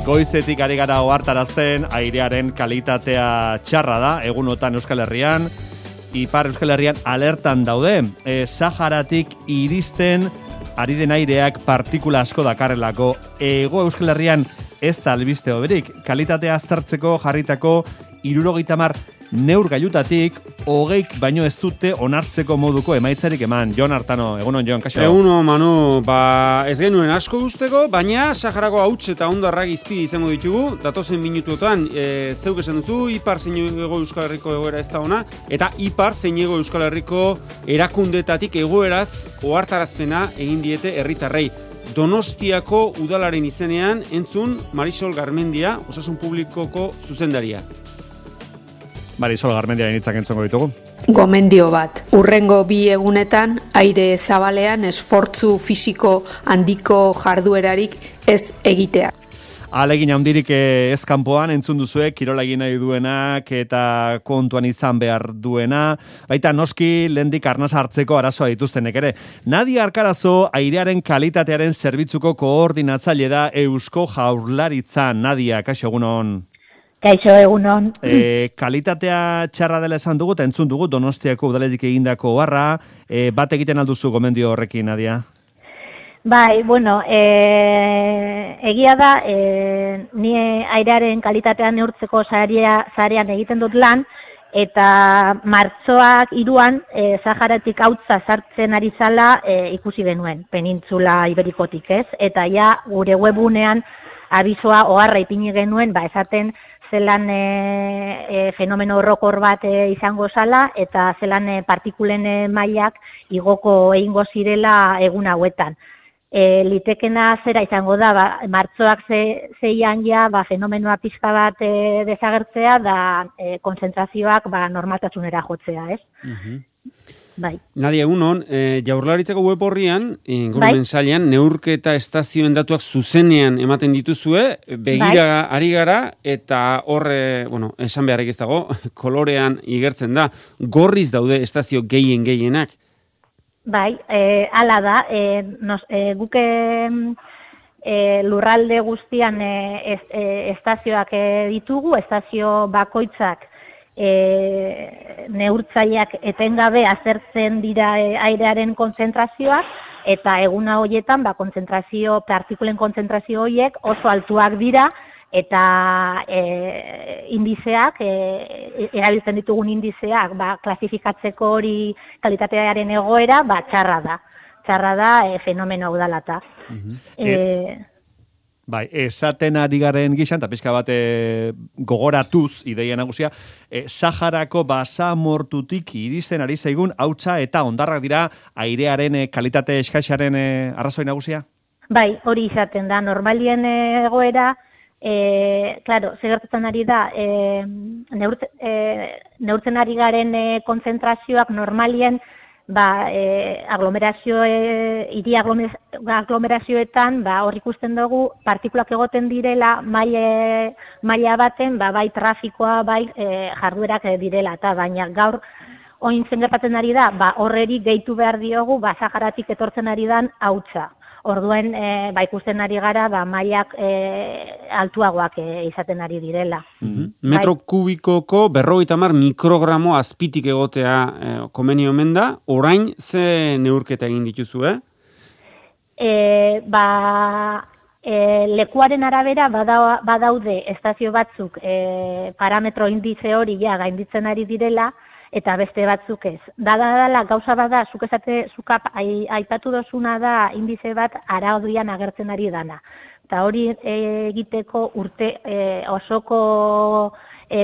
Goizetik ari gara ohartarazten airearen kalitatea txarra da, egunotan Euskal Herrian, Ipar Euskal Herrian alertan daude. Saharatik iristen ari den aireak partikula asko dakarrelako. Hego Euskal Herrian ez da albiste hoberik. Kalitatea aztertzeko jarritako 70 neurgailutatik 20 baino ez dute onartzeko moduko emaitzarik eman. Jon Artano, egunon Jon, kaixo? Egunon Manu, ez genuen asko guzteko, baina Saharako hauts eta hondarrak izpide izango ditugu. Datozen minutuetan, zeuk esan duzu, Ipar zein Hego Euskal Herriko egoera ez da ona, eta Ipar zein Hego Euskal Herriko erakundetatik egoeraz ohartarazpena egin diete herritarrei. Donostiako udalaren izenean entzun Marisol Garmendia, Osasun Publikoko zuzendaria. Marisol Garmendia initzak entzongo ditugu. Gomendio bat. Urrengo 2 egunetan aire zabalean esfortzu fisiko handiko jarduerarik ez egitea. Alegin handirik ez kanpoan entzun duzue, kirola egin nahi duenak eta kontuan izan behar duena. Baita noski lehendik arnasa hartzeko arazoa dituztenek ere. Nadia Arkarazo airearen kalitatearen zerbitzuko koordinatzaile da Eusko Jaurlaritzan. Nadia, kaixo egunon. Kaixo egunon. Kalitatea txarra dela esan dugu eta entzun dugu Donostiako udaletik egindako oharra. Bat egiten alduzu gomendio horrekin, Nadia? Bai, bueno, egia da, ni airearen kalitatea neurtzeko sarean egiten dut lan, eta martxoak 3an Saharatik hautza sartzen ari zala ikusi genuen, penintzula iberikotik, ez? Eta ja gure webunean abisoa oharra ipini genuen, esaten zelan fenomeno horrokor bat izango zala, eta zelan partikulen mailak igoko egingo zirela egun hauetan. Litekena zera izango da, martxoak 6an ja fenomenoa pixka bat desagertzea da konzentrazioak normaltasunera jotzea, ez? Bai. Nadia, egunon, Jaurlaritzako web horrian, ingurumen sailean, neurketa estazioen datuak zuzenean ematen dituzue, begira ari gara, eta horre, esan beharrik ez dago, kolorean igertzen da, gorriz daude estazio gehienak. Bai, hala da, guke lurralde guztian estazioak ditugu, estazio bakoitzak neurtzaileak etengabe azertzen dira airearen kontzentrazioak, eta eguna horietan partikulen kontzentrazio horiek oso altuak dira, eta indizeak, erabiltzen ditugun indizeak, klasifikatzeko hori kalitatearen egoera, txarra da. Txarra da fenomeno hau dalata. Bai, esaten ari garen gizan, eta pixka bat gogoratuz ideia nagusia, Saharako basamortutik iristen ari zaigun hautsa eta hondarrak dira airearen kalitate eskaxaren arrazoi nagusia? Bai, hori izaten da, normalien egoera, claro, segertatzen ari da, neurtzen ari garen konzentrazioak normalien, hiri aglomerazioetan, hor ikusten dugu, partikulak egoten direla maila baten, bai trafikoa, bai jarduerak direla, eta baina gaur oin zen gertatzen ari da, horreri gehitu behar diogu, Saharatik etortzen ari dan hautsa. Orduen, ikusten ari gara, mailak altuagoak izaten ari direla. Metro kubikoko 50 mikrogramo azpitik egotea komeni omen da, orain ze neurketa egin dituzu, lekuaren arabera badaude estazio batzuk parametro indize hori gainditzen ari direla, eta beste batzuk ez. Dala gauza bada, zuk aipatu dozuna da indize bat araudian agertzen ari dana. Eta hori egiteko urte osoko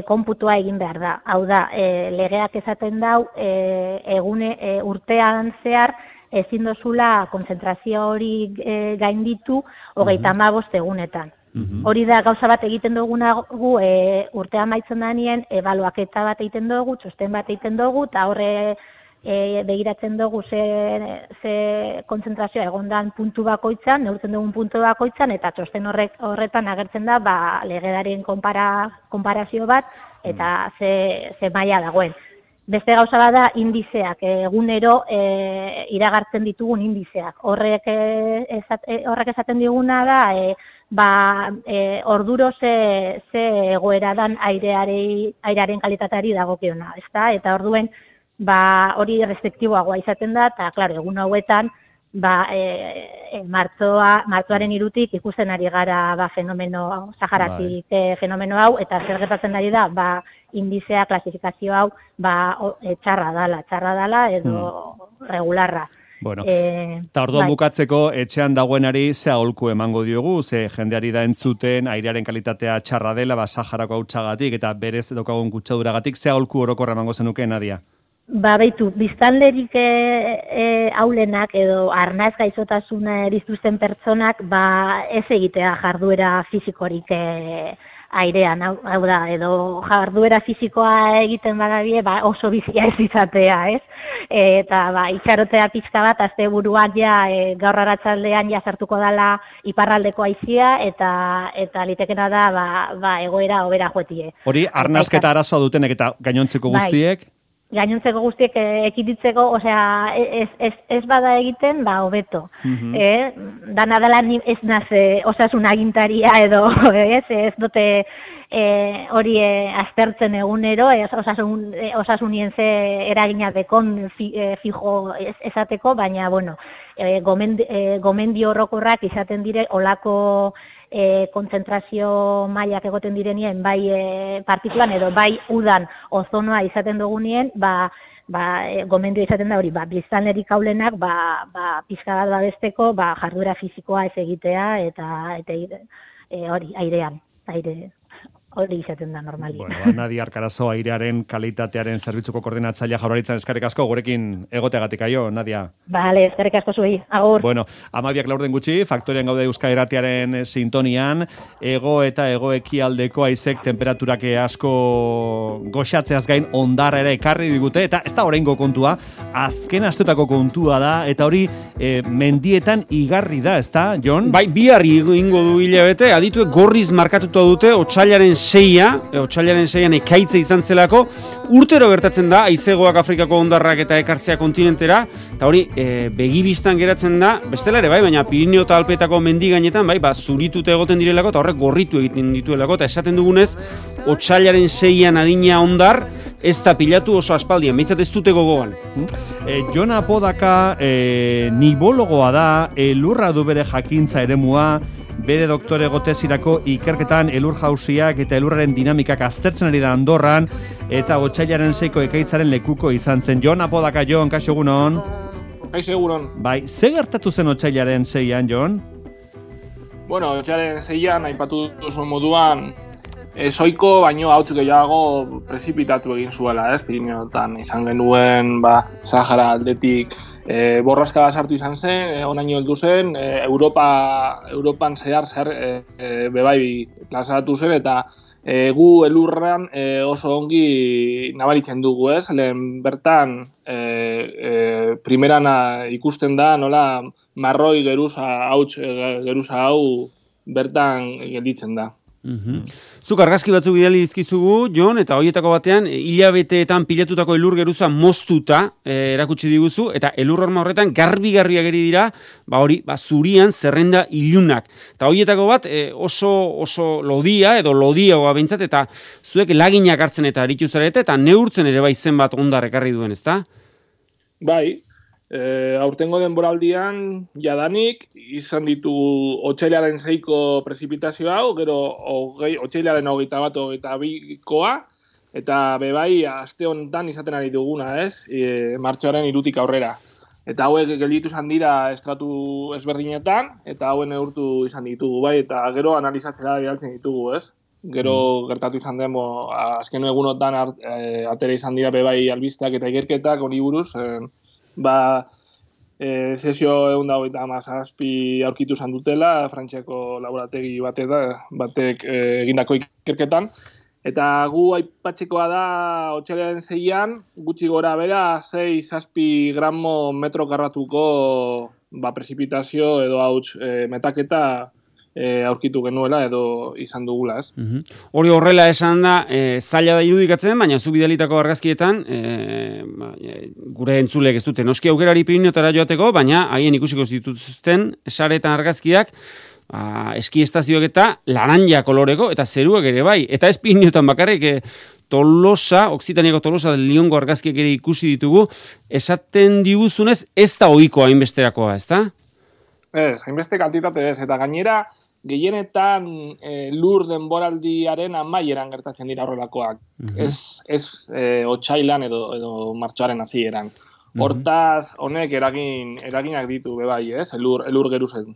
konputua egin behar da. Hau da, legeak esaten dau, urtean zehar ezin dozula konzentrazio hori gainditu 35 egunetan. Hori da gauza bat egiten duguna gu urtea amaitzen danien, ebaluaketa bat egiten dugu, txosten bat egiten dugu, eta horre begiratzen dugu ze konzentrazioa egondan puntu bakoitzan, neurtzen dugun puntu bakoitzan, eta txosten horretan agertzen da legedarien konparazio bat, eta ze maila dagoen. Beste gauza bada indizeak, egunero iragartzen ditugun indizeak. Horrek esaten diguna da, orduro ze egoera dan airearen kalitateari dagokiona, ezta? Eta orduen hori restriktiboagoa izaten da, eta claro, egun hauetan martxoaren 3 ikusten ari gara fenomeno Saharatik fenomeno hau, eta zer gertatzen ari da indizea, klasifikazio hau txarra dala edo regularra. Bueno, eta orduan bukatzeko etxean dagoenari ze aholku emango diogu, ze jendeari da entzuten airearen kalitatea txarra dela, Saharako hautsagatik eta berez daukagun kutsaduragatik, ze aholku orokorra emango zenuke, Nadia? Beitu, biztanlerik aulenak edo arnaz gaixotasuna dituzten pertsonak ez egitea jarduera fisikorik airean, hau da, edo jarduera fisikoa egiten badabie, oso bizia ez izatea, ez? Eta itxarotea pixka bat, asteburuan gaur arratsaldean sartuko dela iparraldeko haizia, eta litekena da egoera hobera joetie. Hori, arnazketa arazoa dutenek eta gainontzeko guztiek? Gainontzeko guztiek ekiditzeko, osea, ez bada egiten, hobeto. Dana dela ez naze osasun agintaria edo, ez dute hori aztertzen egunero, osasunien ze eragina dekon fijo esateko, baina, bueno, gomendio orokorrak izaten dire olako kontzentrazio mailak egoten direnien bai partikulan edo bai udan ozonoa izaten dugunien, gomendio izaten da hori, biztanlerik aulenak pixka bat babesteko jarduera fisikoa ez egitea eta hori airean, hori izaten da normalia. Bueno, Nadia Arkarazo, airearen kalitatearen zerbitzuko koordinatzailea Jaurlaritzan, eskerrik asko gurekin egoteagatik aio, Nadia. Vale, eskerrik asko zuei. Agur. Bueno, 12 gutxi, Faktorian gaude Euskal Irratiaren sintonian, hego eta hego-ekialdeko haizek temperaturak asko goxatzeaz gain ondarra ere ekarri digute, eta ez da oraingo kontua, azken asteotako kontua da, eta hori mendietan igarri da, ez da, Jon? Bai, biharri ingo du hilabete, adituek gorriz markatuta dute, otsailaren 6an ekaitze izan zelako, urtero gertatzen da, haizegoak Afrikako ondarrak eta ekartzea kontinentera, eta hori, begibistan geratzen da, bestela ere, baina Pirineo eta Alpeetako mendigainetan, zuritute egoten direlako, eta horrek gorritu egiten dituelako, eta esaten dugunez, otsailaren 6an adina ondar, ez da pilatu oso aspaldian, behintzat ez dute gogoan. Jon Apodaka nibologoa da, elurra du bere jakintza eremua, bere doktore tesirako ikerketan elur jausiak eta elurraren dinamikak aztertzen ari da Andorran, eta otsailaren 6ko ekaitzaren lekuko izan zen. Jon Apodaka, Jon, kaixo egunon? Kaixo egunon. Bai, ze gertatu zen otsailaren 6an, Jon? Bueno, otsailaren 6an, aipatu duzu moduan, soiko baino hauts gehiago prezipitatu egin zuela, Pirineotan izan genuen, Sahara aldetik borraska sartu izan zen, onaino heldu zen, Europan zehar bebai plazaratu zen, eta gu elurran oso ongi nabaritzen dugu, lehen bertan primeran ikusten da, nola marroi geruza hau bertan gelditzen da. Zuk argazki batzuk bidali dizkizugu, Jon, eta horietako batean hilabeteetan pilatutako elur geruza moztuta erakutsi diguzu, eta elur horma horretan garbi ageri dira, zurian zerrenda ilunak. Eta horietako bat oso lodia edo lodiagoa behintzat, eta zuek laginak hartzen eta aritu zarete, eta neurtzen ere zen bat ondar ekarri duen, ezta? Bai. Aurtengo denboraldian jadanik izan ditugu otsailaren 6ko prezipitazio hau, gero otsailaren 21-22koa, eta bebai aste honetan izaten ari duguna, martxoaren 3tik aurrera. Eta hauek gelditu izan dira estratu ezberdinetan, eta hauen neurtu izan ditugu, eta gero analizatzera bidaltzen ditugu, Gero gertatu izan demo, azken egunotan atera izan dira bebai albisteak eta ikerketak hori buruz, sesio 127 aurkitu izan dutela, Frantziako laborategi batek egindako ikerketan, eta gu aipatzekoa da otsailaren 6an, gutxi gora bera 6-7 gramo metro karratuko prezipitazio edo hauts metaketa aurkitu genuela edo izan dugula, Hori horrela esan da, zaila da irudikatzen, baina zu bidalitako argazkietan, gure entzulek ez dute noski aukerari Pirineotara joateko, baina haien ikusiko zituzten saretan argazkiak, eskiestazioak eta laranja koloreko, eta zeruak ere bai. Eta ez Pirinioetan bakarrik, Tolosa, Okzitaniako Tolosa del Liongo argazkiak ere ikusi ditugu, esaten diguzunez ez da ohikoa hainbesterakoa, ez da? Ez, hainbeste kantitate ez, eta gainera gehienetan lur denboraldiaren amaieran gertatzen dira horrelakoak. Ez otsailan edo martxoaren hasieran. Hortaz, honek eraginak ditu, bebai, ez? Elur geruzen.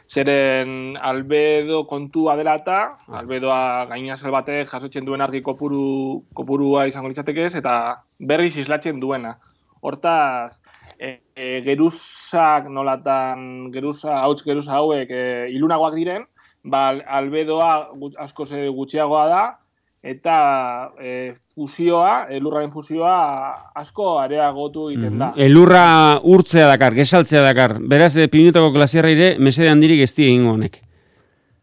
Zeren albedo kontua dela eta, albedoa gainazal batek jasotzen duen argi kopurua izango litzateke ez, eta berriz islatzen duena. Hortaz, geruzak nolatan, geruza hauek ilunagoak diren, albedoa asko gutxiagoa da, eta fusioa, elurraren fusioa asko areagotu egiten da. Elurra urtzea dakar, gesaltzea dakar. Beraz, Pirinotako glasiarra ere mesede handirik ez egingo honek.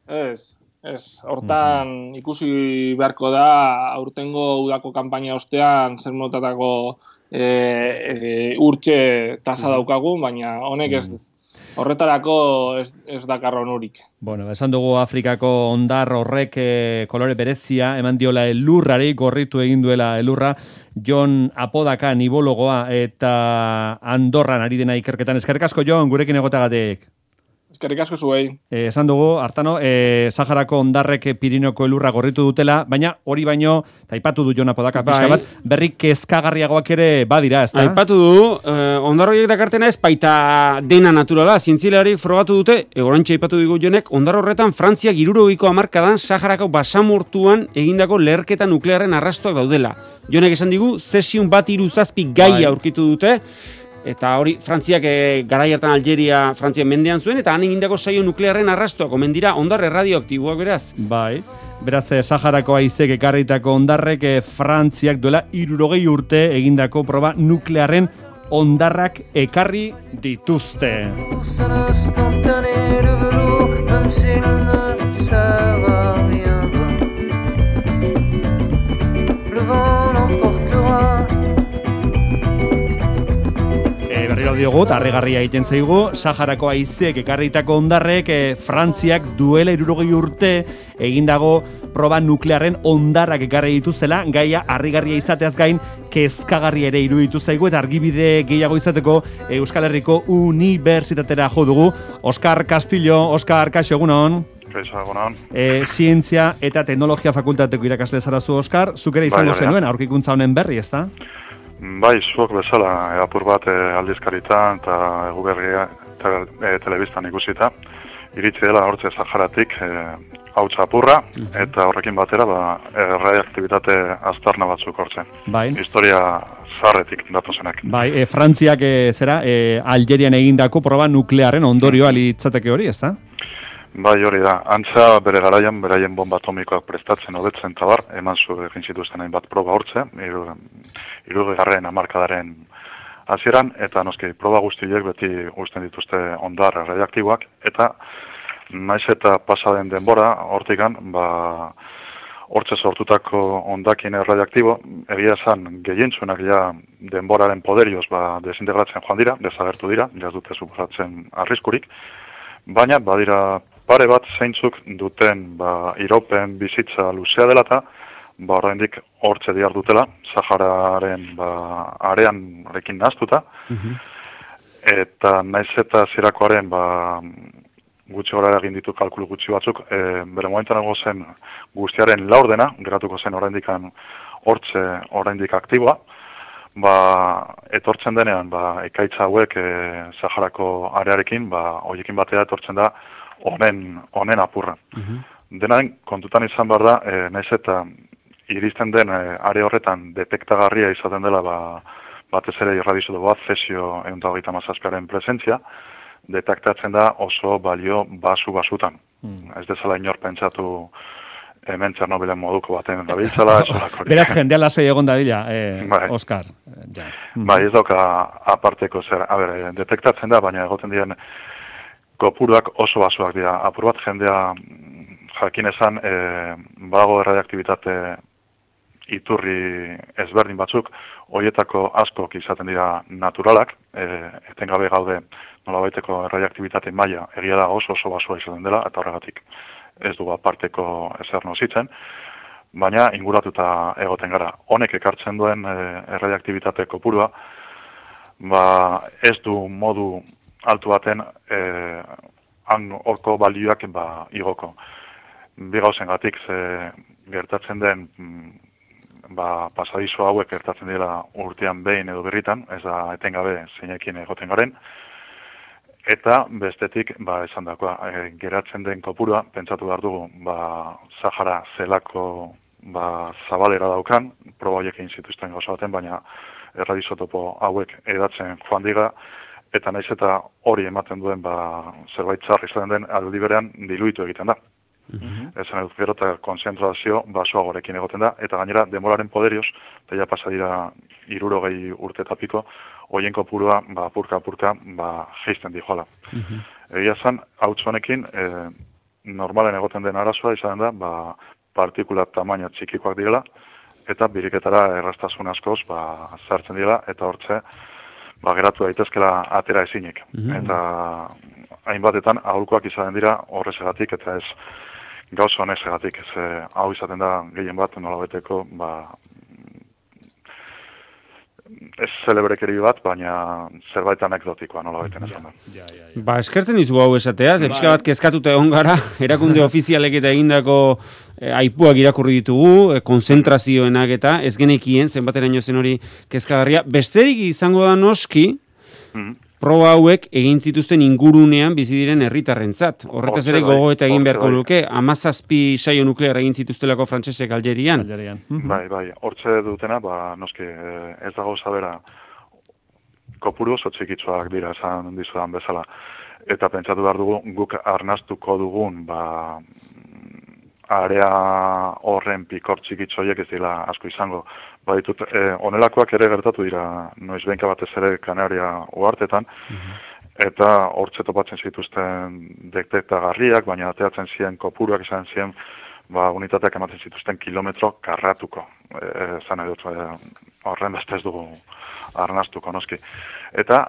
Ez. Hortan ikusi beharko da aurtengo udako kanpaina ostean zer motatako urtxe tasa daukagun, baina honek ez. Horretarako ez dakar onurik. Bueno, esan dugu Afrikako hondar horrek kolore berezia, eman diola elurrari, gorritu egin duela elurra, Jon Apodaka nibologoa eta Andorran ari dena ikerketan. Eskerrik asko, Jon, gurekin egotagatik. Eskerrik asko zuei. Esan dugu, Artano, Saharako hondarrek Pirinoko elurra gorritu dutela, baina hori baino, aipatu du Jon Apodaka pixka bat, berrik kezkagarriagoak ere badira, ez da? Aipatu du, hondarroiek dakartena ez baita dena naturala, zientzialari frogatu dute, orantxe aipatu digu Jonek, hondar horretan Frantziak 60ko hamarkadan Saharako basamortuan egindako leherketa nuklearren arrastoak daudela. Jonek esan digu, zesiun 137 gai aurkitu dute, eta hori Frantziak garai hartan Algeria Frantzia mendean zuen, eta han egindako saio nuklearren arrastoak omen dira hondar radioaktiboak beraz. Bai, beraz Saharako haizek ekarritako hondarrek Frantziak duela 60 urte egindako proba nuklearren hondarrak ekarri dituzte. Berriro diogut, harrigarria egiten zaigu, Saharako haizek ekarritako hondarrek Frantziak duela 60 urte egindago proba nuklearren hondarrak ekarri dituztela, gaia harrigarria izateaz gain kezkagarria ere iruditu zaigu eta argibide gehiago izateko Euskal Herriko Unibertsitatera jo dugu. Oskar Castillo, Oskar, kaixo egunon. Zientzia eta Teknologia Fakultateko irakasle zarazu, Oskar, zuk ere izango zenuen aurkikuntza honen berri, ezta? Bai, zuok bezala, apur bat aldizkaritan eta eguberria telebistan ikusita, iritsi dela hortze Saharatik hautsa apurra, eta horrekin batera radioaktibitate aztarna batzuk hortzen. Bai. Historia zarretik datozenak. Bai, Frantziak Algerian egindako proba nuklearren ondorioa litzateke hori, ezta? Bai, hori da. Antza bere garaian, beraien bomba atomikoak prestatzen hobetzen tabar, eman egin zituzten hainbat proba hortze, 60. hamarkadaren hasieran, eta noski proba guztiek beti uzten dituzte hondar radioaktiboak, eta naiz eta pasaden denbora hortikan, hortze sortutako hondakin radioaktibo, egia esan gehientzuenak ja denboraren poderioz desintegratzen joan dira, desagertu dira, jaz dute suposatzen arriskurik, baina badira pare bat zeintzuk duten iraupen bizitza luzea dela eta oraindik hortze dihar dutela, Sahararen arean rekin nahaztuta, eta naiz eta zirakoaren gutxi gora egin ditu kalkulu gutxi batzuk, bere momentan zen guztiaren laurdena, geratuko zen oraindikan hortze oraindik aktiboa, etortzen denean, ekaitza hauek Saharako arearekin, horiekin batera etortzen da honen apurra. Denaren kontutan izan behar da, naiz eta iristen den are horretan detektagarria izaten dela batez ere irradizodo bat, cesio 137aren presentzia, detektatzen da oso balio basutan. Ez dezala inor pentsatu hemen Txernobilen moduko baten dabiltzala. Beraz, jendea lasai egon dadila, Oskar. Bai, ez dauka aparteko zer. Detektatzen da, baina egoten diren kopuruak oso basuak dira. Apur bat jendea jakin esan, badago radioaktibitate iturri ezberdin batzuk, horietako askok izaten dira naturalak, etengabe gaude nolabaiteko erradioaktibitate maila egia da oso basua izaten dela, eta horregatik ez dugu aparteko ezer nozitzen, baina inguratuta egoten gara. Honek ekartzen duen erradioaktibitate kopurua, ez du modu altu baten horko balioak igoko. Bi gauzengatik gertatzen den pasadizo hauek gertatzen dira urtean behin edo berritan, ez da etengabe zeinekin egoten garen, eta bestetik esan dakoa, geratzen den kopurua, pentsatu behar dugu, Sahara zelako zabalera daukan, proba horiek egin zituzten gauza baten, baina erradizotopo hauek edatzen joan diga, eta naiz eta hori ematen duen zerbait txarri izaten den aldi berean diluitu egiten da. Esan edut gero eta konzentrazio basoagorekin egoten da, eta gainera demoraren poderioz, eta ja pasa dira 60 urte eta piko, hoien kopurua apurka geisten dijoala. Egia zan, hauts honekin, normalen egoten den arazoa izan da, partikula tamaina txikikoak direla, eta biriketara erraztasun askoz zartzen dira, eta hortze geratu daitezkela atera ezinik. Eta hainbatetan aholkoak izaten dira horrezegatik, eta ez gauza honezegatik, ez hau izaten da gehien bat nolabeteko ez celebrekeri bat, baina zerbait anekdotikoa nolabeten esan da. Eskertzen dizu hau esatea, pixka bat kezkatuta egon gara, erakunde ofizialek eta egindako aipuak irakurri ditugu, konzentrazioenak eta ez genekien, zenbateraino zen hori kezkagarria. Besterik izango da noski, proba hauek egin zituzten ingurunean bizi diren herritarrentzat. Horretaz ere gogoeta egin beharko luke, 17 saio nuklear egin zituztelako frantsesek Aljerian. Bai, hortze dutena, noski ez dago zabera kopuru oso txikitsuak dira esan dizudan bezala. Eta pentsatu behar dugu, guk arnastuko dugun, area horren pikor txikitsoiek ez dira asko izango. Baditut, onelakoak ere gertatu dira, noiz behinka batez ere Kanaria uhartetan, eta hortze topatzen zituzten detektagarriak, baina ateatzen ziren kopuruak izan ziren, unitateak ematen zituzten kilometro karratuko. Zan edut, horren beste ez dugu arnastuko, noski. Eta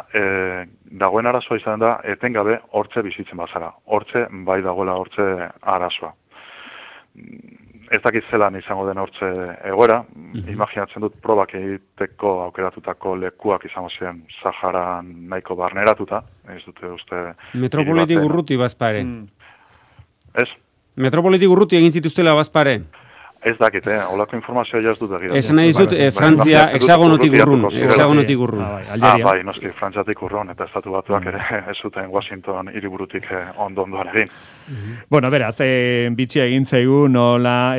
dagoen arazoa izan da, etengabe hortze bizitzen bazara. Hortze, bai dagoela hortze arazoa. Ez dakit zelan izango den hortze egoera, imaginatzen dut probak egiteko aukeratutako lekuak izango ziren Saharan nahiko barneratuta, ez dute uste... Metropolitik urruti bazpare. Ez? Metropolitik urruti egin zituztela bazpare. Ez dakit, holako informazioa jaz dut egira. Esan nahi dizut, Frantzia hexagonotik urrun. Bai, noski, Frantziatik urrun, eta estatu batuak ere ez zuten Washington hiriburutik ondoan egin. Bueno, beraz, bitxia egin zaigu, nola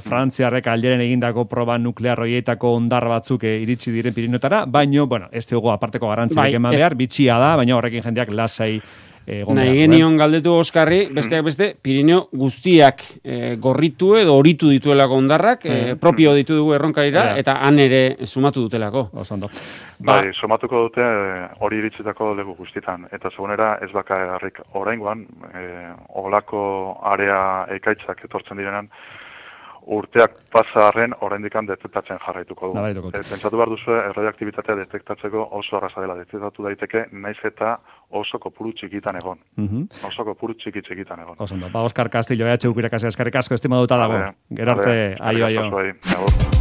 Frantziarrek Aljeren egindako proba nuklear horietako ondar batzuk iritsi diren Pirinotara, baino, ez dugu aparteko garrantziak eman behar, bitxia da, baina horrekin jendeak lasai nahi genion galdetu Oskarri, besteak beste, Pirineo guztiak gorritu edo horitu dituelako ondarrak, propio ditu dugu erronkarira, eta han ere sumatu dutelako. Bai, sumatuko dute hori iritzitako legu guztietan, eta segunera ez bakarrik oraingoan, olako area ekaitzak etortzen direnan, urteak pasarren oraindikan detektatzen jarraituko du. Pentsatu behar duzu, erradioaktibitatea detektatzeko oso arraza dela, detektatu daiteke, naiz eta oso kopuru txikitan egon. Oso kopuru txikitan egon. Oskar Castillo, EHU irakasle eskerrik asko estimaduta dago. Gero arte, aio.